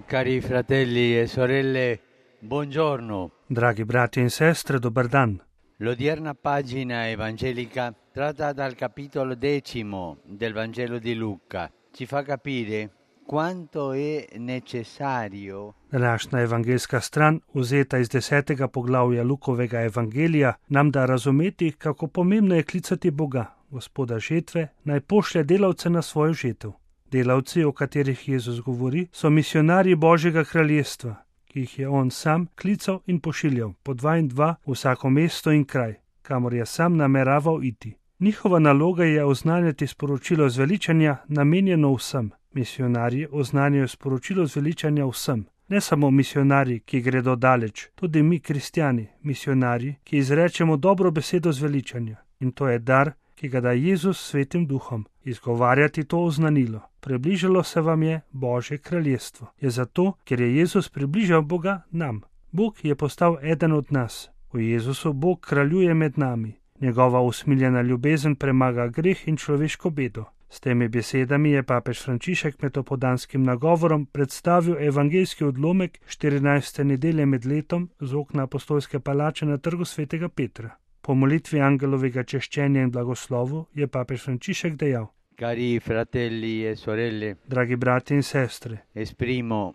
Cari fratelli e sorelle, buongiorno. Dragi brati in sestre, dober dan. L'odierna pagina evangelica, tratta dal capitolo 10 del Vangelo di Luca, ci fa capire quanto è necessario Današnja evangelska stran, vzeta iz 10. poglavja Lukovega evangelija, nam da razumeti, kako pomembno je klicati Boga, Gospoda žetve, naj pošlje delavce na svojo žetev. Delavci, o katerih Jezus govori, so misionarji Božjega kraljestva, ki jih je on sam klical in pošiljal po 2 in 2 v vsako mesto in kraj, kamor je sam nameraval iti. Njihova naloga je oznanjati sporočilo zveličanja namenjeno vsem. Misionarji oznanjajo sporočilo zveličanja vsem. Ne samo misionarji, ki gredo daleč, tudi mi, kristjani, misionarji, ki izrečemo dobro besedo zveličanja. In to je dar, ki ga da Jezus s Svetim Duhom. Izgovarjati to oznanilo. Približalo se vam je Božje kraljestvo. Je zato, ker je Jezus približal Boga nam. Bog je postal eden od nas. V Jezusu Bog kraljuje med nami. Njegova usmiljena ljubezen premaga greh in človeško bedo. S temi besedami je papež Frančišek med opoldanskim nagovorom predstavil evangeljski odlomek 14. nedelje med letom z okna apostolske palače na trgu svetega Petra. Po molitvi angelovega češčenja in blagoslovu je papež Frančišek dejal: Cari fratelli e sorelle, dragi brati in sestre, esprimo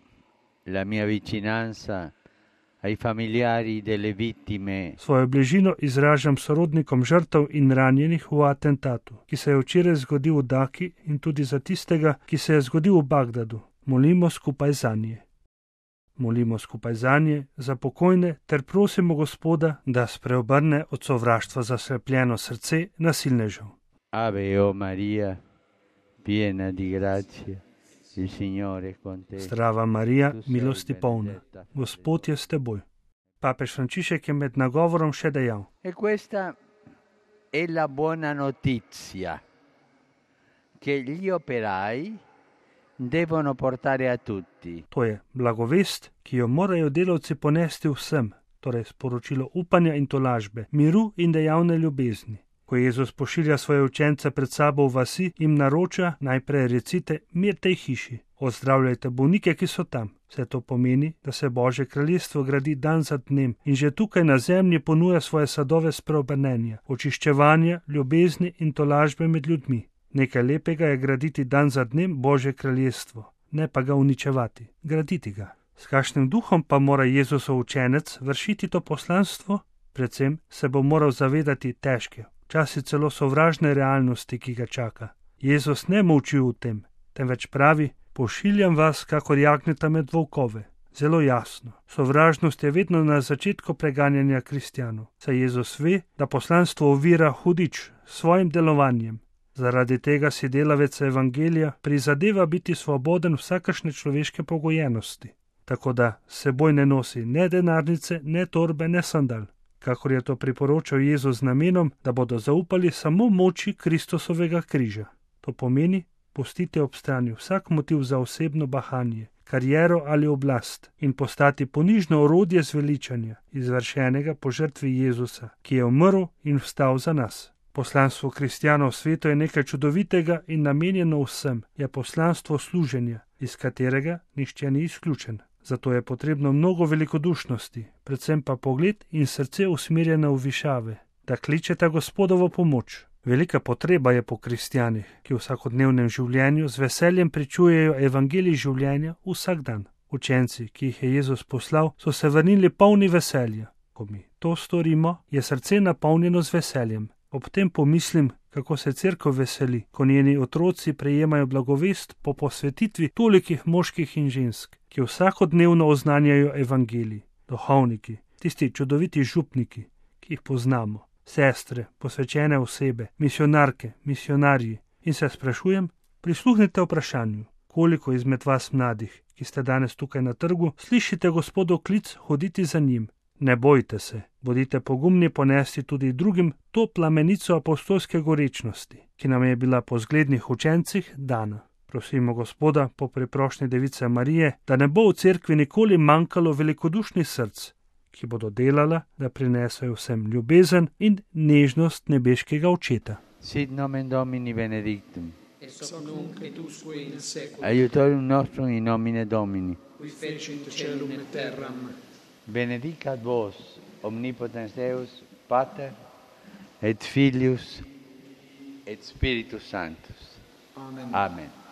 la mia vicinanza ai familiari delle vittime. Svojo bližino izražam sorodnikom žrtev in ranjenih v atentatu, ki se je včeraj zgodil v Daki, in tudi za tistega, ki se je zgodil v Bagdadu. Molimo skupaj zanje. Molimo skupaj zanje, za pokojne, ter prosimo Gospoda, da spreobrne od sovraštva zaslepljeno srce nasilnežev. Ave o Maria, piena di grazia, il Signore è con te. Zdrava Marija, milosti polna, Gospod je s teboj. Papež Frančišek je med nagovorom še dejal: E questa è la buona notizia che gli operai devono portare a tutti. To je blagovest, ki jo morajo delavci ponesti vsem, torej sporočilo upanja in tolažbe, miru in dejavne ljubezni. Ko Jezus pošilja svoje učence pred sabo v vasi, jim naroča: najprej recite mir tej hiši, ozdravljajte bolnike, ki so tam. Vse to pomeni, da se Božje kraljestvo gradi dan za dnem in že tukaj na zemlji ponuja svoje sadove spreobrnenja, očiščevanja, ljubezni in tolažbe med ljudmi. Nekaj lepega je graditi dan za dnem Božje kraljestvo, ne pa ga uničevati, graditi ga. S kakšnim duhom pa mora Jezusov učenec vršiti to poslanstvo? Predvsem se bo moral zavedati težke, včasih celo sovražne realnosti, ki ga čaka. Jezus ne molči v tem, temveč pravi: pošiljam vas, kakor jagnjeta med volkove. Zelo jasno. Sovražnost je vedno na začetku preganjanja kristjanov, saj Jezus ve, da poslanstvo ovira hudič s svojim delovanjem. Zaradi tega si delavec evangelija prizadeva biti svoboden vsakršne človeške pogojenosti, tako da s seboj ne nosi ne denarnice, ne torbe, ne sandal, kakor je to priporočal Jezus z namenom, da bodo zaupali samo moči Kristusovega križa. To pomeni pustiti ob strani vsak motiv za osebno bahanje, kariero ali oblast in postati ponižno orodje zveličanja, izvršenega po žrtvi Jezusa, ki je umrl in vstal za nas. Poslanstvo kristjanov v svetu je nekaj čudovitega in namenjeno vsem, je poslanstvo služenja, iz katerega nihče ni izključen. Zato je potrebno mnogo velikodušnosti, predvsem pa pogled in srce usmerjeno v višave, da kličeta Gospodovo pomoč. Velika potreba je po kristjanih, ki v vsakodnevnem življenju z veseljem pričujejo evangelij življenja vsak dan. Učenci, ki jih je Jezus poslal, so se vrnili polni veselja. Ko mi to storimo, je srce napolnjeno z veseljem. Ob tem pomislim, kako se cerkev veseli, ko njeni otroci prejemajo blagovest po posvetitvi tolikih moških in žensk, ki vsakodnevno oznanjajo evangelij. Duhovniki, tisti čudoviti župniki, ki jih poznamo, sestre, posvečene osebe, misionarke, misionarji. In se sprašujem, prisluhnite vprašanju, koliko izmed vas mladih, ki ste danes tukaj na trgu, slišite Gospodov klic hoditi za njim. Ne bojte se, bodite pogumni ponesti tudi drugim to plamenico apostolske gorečnosti, ki nam je bila po zglednih učencih dana. Prosimo Gospoda po preprošnji Device Marije, da ne bo v cerkvi nikoli manjkalo velikodušnih src, ki bodo delala, da prinesajo vsem ljubezen in nežnost nebeškega Očeta. Sit nomen Domini benedictum. et hoc nunc et usque in saeculum. Aiutorium nostrum in nomine Domini. Qui fecit caelum et terram. Benedicat vos, omnipotens Deus, Pater, et Filius, et Spiritus Sanctus. Amen. Amen.